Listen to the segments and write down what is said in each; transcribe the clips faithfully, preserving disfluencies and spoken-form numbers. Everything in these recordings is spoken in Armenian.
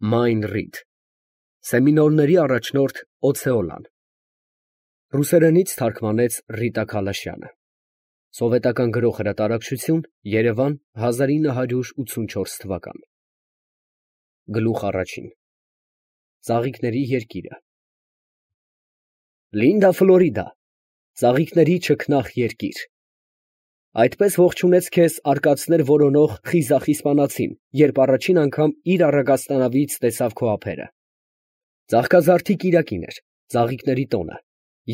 Մայն Ռիդ Սեմինոլների առաջնորդ Օցեոլան Ռուսերենից թարգմանեց Ռիտա Քալաշյանը Սովետական գրող հրատարակչություն Երևան հազար ինը հարյուր ութսունչորս թվական Գլուխ առաջին Ծաղիկների երկիրը Լինդա Ֆլորիդա Ծաղիկների չքնաղ երկիր Այդպես ողջունեց քեզ արկածներ որոնող խիզախ իսպանացին, երբ առաջին անգամ իր առագաստանավից տեսավ քո ափերը։ Ծաղկազարդի կիրակին էր, ծաղիկների տոնը,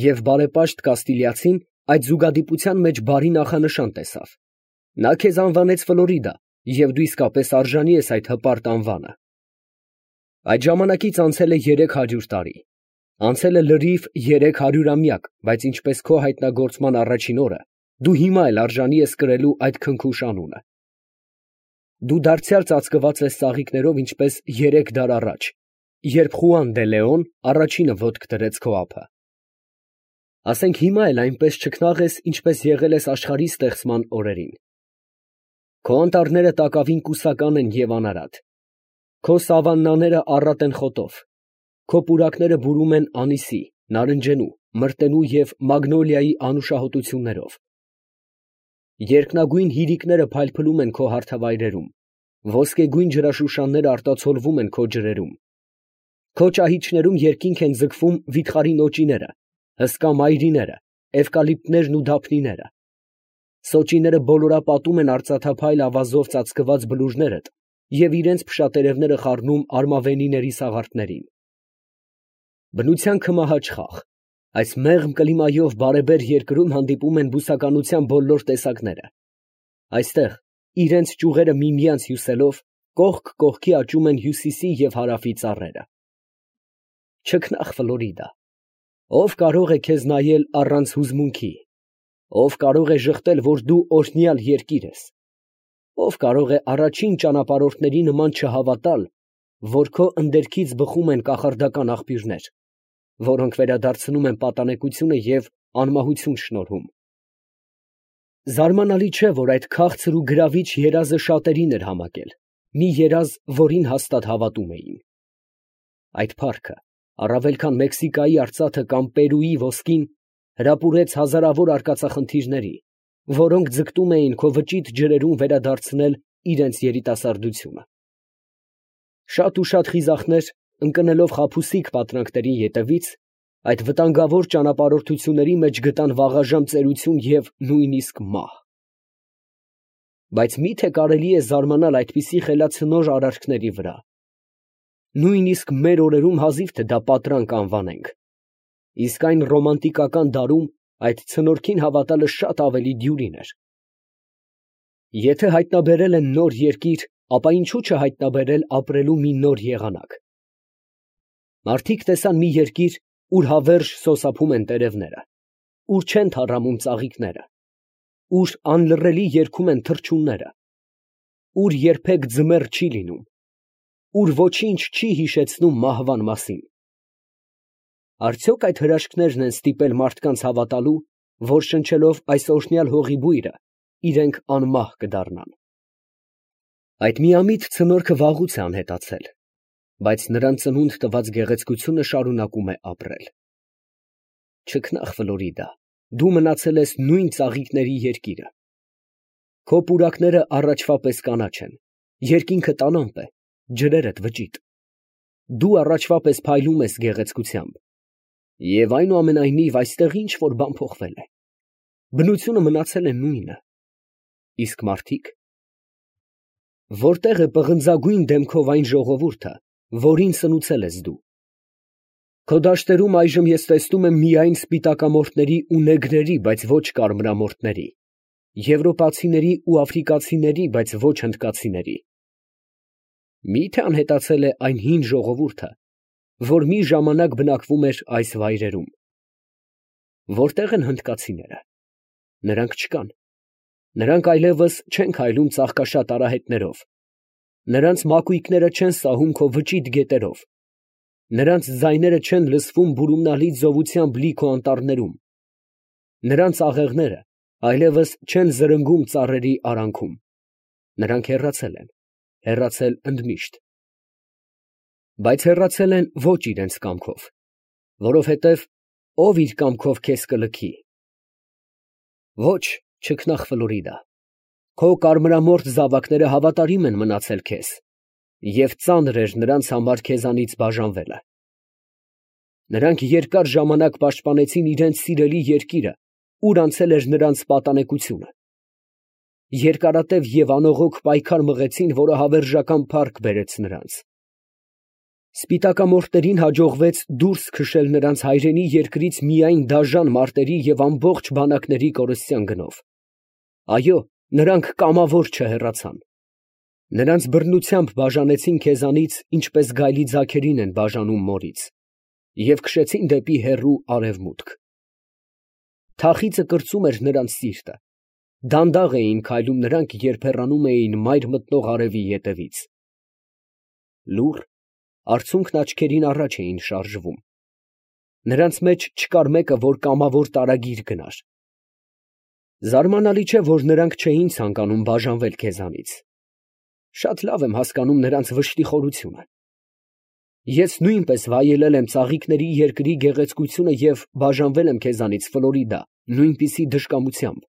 և բարեպաշտ կաստիլիացին այդ զուգադիպության մեջ բարի նախանշան տեսավ։ Նա քեզ անվանեց Ֆլորիդա, և դու իսկապես արժանի ես այդ հպարտ անվանը։ Այդ ժամանակից անցել է երեք հարյուր տարի։ Անցել է լրիվ երեք հարյուրամյակ, բայց ինչպես քո հայտնագործման առաջին օրը, դու հիմա էլ արժանի ես կրելու այդ քնքուշ անունը։ Դու դարձյալ ծածկված ես ծաղիկներով, ինչպես երեք դար առաջ, երբ Խուան դե Լեոն առաջինը ոտք դրեց քո ափը։ Ասենք հիմա էլ այնպես չքնաղ ես, ինչպես եղել ես աշխարհի ստեղծման օրերին։ Քո անտառները տակավին կուսական են և անարատ։ Քո սավաննաները առատ են խոտով։ Քո պուրակները բուրում են անիսի, նարնջենու, մրտենու և մագնոլիայի անուշահոտություններով։ Երկնագույն հիրիկները փայլփլում են քո հարթավայրերում, ոսկեգույն ջրաշուշանները արտացոլվում են քո ջրերում։ Քո ճահիճներում երկինք են ձգվում վիթխարի նոճիները, հսկա մայրիները, էվկալիպտներն ու դափնիները։ Սոճիները բոլորապատում են արծաթափայլ ավազով ծածկված բլուրներդ և իրենց փշատերևները խառնում արմավենիների սաղարթներին։ Բնության քմահաճ խաղ, այս մեղմ կլիմայով բարեբեր երկրում հանդիպում են բուսականության բոլոր տեսակները։ Այստեղ, իրենց ճյուղերը միմյանց հյուսելով, կողք կողքի աճում են հյուսիսի և հարավի ծառերը։ Չքնաղ Ֆլորիդա, ով կարող է քեզ նայել առանց հուզմունքի, ով կարող է ժխտել, որ դու օրհնյալ երկիր ես, ով կարող է առաջին ճանապարհորդների նման չհավատալ, որ քո ընդերքից բխում են կախարդական աղբյուրներ, որոնք վերադարձնում են պատանեկությունը և անմահություն շնորհում։ Զարմանալի չէ, որ այդ քաղցր ու գրավիչ երազը շատերին էր համակել, մի երազ, որին հաստատ հավատում էին։ Այդ փառքը, առավել քան Մեքսիկայի արծաթը կամ Պերուի ոսկին, հրապուրեց հազարավոր արկածախնդիրների, որոնք ձգտում էին քո վճիտ ջրերում վերադարձնել իրենց երիտասարդությունը։ Շատ ու շատ խիզախներ, ընկնելով խաբուսիկ պատրանքների ետևից, այդ վտանգավոր ճանապարհորդությունների մեջ գտան վաղաժամ ծերություն և նույնիսկ մահ։ Բայց մի՞թե կարելի է զարմանալ այդպիսի խելացնոր արարքների վրա։ Նույնիսկ մեր օրերում հազիվ թե դա պատրանք անվանենք, իսկ այն ռոմանտիկական դարում այդ ցնորքին հավատալը շատ ավելի դյուրին էր։ Եթե հայտնաբերել են նոր երկիր, ապա ինչու չհայտնաբերել ապրելու մի նոր եղանակ։ Մարդիկ տեսան մի երկիր, ուր հավերժ սոսափում են տերևները, ուր չեն թառամում ծաղիկները, ուր անլռելի երգում են թռչունները, ուր երբեք ձմեռ չի լինում, ուր ոչինչ չի հիշեցնում մահվան մասին։ Արդյոք այդ հրաշքներն են ստիպել մարդկանց հավատալու, որ շնչելով այս օրհնյալ հողի բույրը, իրենք անմահ կդառնան։ Այդ միամիտ ցնորքը վաղուց է անհետացել, բայց նրան ծնունդ տված գեղեցկությունը շարունակում է ապրել։ Չքնաղ Ֆլորիդա, դու մնացել ես նույն ծաղիկների երկիրը։ Քո պուրակները առաջվա պես կանաչ են, երկինքը տանամպ է, ջրերդ վճիտ։ Դու առաջվա պես փայլում ես գեղեցկությամբ, և այնուամենայնիվ այստեղ ինչ֊որ բան փոխվել է։ Բնությունը մնացել է նույնը, իսկ մարդիկ… Որտե՞ղ է պղնձագույն դեմքով այն ժողովուրդը, որին սնուցել ես դու։ Քո դաշտերում այժմ ես տեսնում եմ միայն սպիտակամորթների ու նեգրերի, բայց ոչ կարմրամորթների, եվրոպացիների ու աֆրիկացիների, բայց ոչ հնդկացիների։ Մի՞թե անհետացել է այն հին ժողովուրդը, որ մի ժամանակ բնակվում էր այս վայրերում։ Որտե՞ղ են հնդկացիները։ Նրանք չկան։ Նրանք այլևս չեն քայլում ծաղկաշատ արահետներով, նրանց մակույկները չեն սահում քո վճիտ գետերով, նրանց ձայները չեն լսվում բուրումնալից զովությամբ լի քո անտառներում, նրանց աղեղները այլևս չեն զրնգում ծառերի արանքում, նրանք հեռացել են, հեռացել ընդմիշտ։ բայց հեռացել են ոչ իրենց կամքով, որովհետև ով իր կամքով քեզ կլքի։ Ոչ, չքնաղ Ֆլորիդա, քո կարմրամորթ զավակները հավատարիմ են մնացել քեզ, և ծանր էր նրանց համար քեզանից բաժանվելը։ Նրանք երկար ժամանակ պաշտպանեցին իրենց սիրելի երկիրը, ուր անցել էր նրանց պատանեկությունը։ Երկարատև և անողոք պայքար մղեցին, որը հավերժական փառք բերեց նրանց։ Սպիտակամորթներին հաջողվեց դուրս քշել նրանց հայրենի երկրից միայն դաժան մարտերի և ամբողջ բանակների կորստյան գնով։ Այո, նրանք կամավոր չհեռացան։ Նրանց բռնությամբ բաժանեցին քեզանից, ինչպես գայլի ձագերին են բաժանում մորից, և քշեցին դեպի հեռու արևմուտք։ Թախիծը կրծում էր նրանց սիրտը, դանդաղ էին քայլում նրանք, երբ հեռանում էին մայր մտնող արևի ետևից։ Լուռ, արցունքն աչքերին առաջ էին շարժվում։ Նրանց մեջ չկար մեկը, որ կամավոր տարագիր գնար։ Զարմանալի չէ, որ նրանք չէին ցանկանում բաժանվել քեզանից։ Շատ լավ եմ հասկանում նրանց վշտի խորությունը։ Ես նույնպես վայելել եմ ծաղիկների երկրի գեղեցկությունը և բաժանվել եմ քեզանից, Ֆլորիդա, նույնպիսի դժկամությամբ։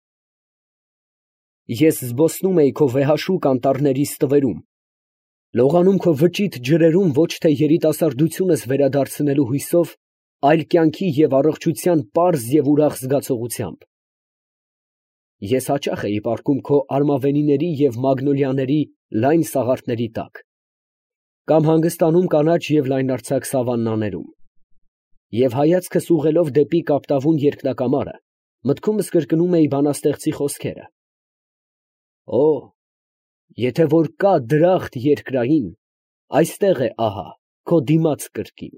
Ես զբոսնում էի քո վեհաշուկ անտառների ստվերում, լողանում քո վճիտ ջրերում ոչ թե երիտասարդությունս վերադարձնելու հույսով, այլ կյանքի և առողջության պարզ և ուրախ զգացողությամբ։ Ես հաճախ էի պառկում քո արմավենիների և մագնոլիաների լայն սաղարթների տակ, կամ հանգստանում կանաչ և լայնարձակ սավաննաներում, և հայացքս ուղղելով դեպի կապտավուն երկնակամարը, մտքումս կրկնում էի բանաստեղծի խոսքերը. «Օ, եթե որ կա դրախտ երկրային, այստեղ է ահա քո դիմաց կրկին»։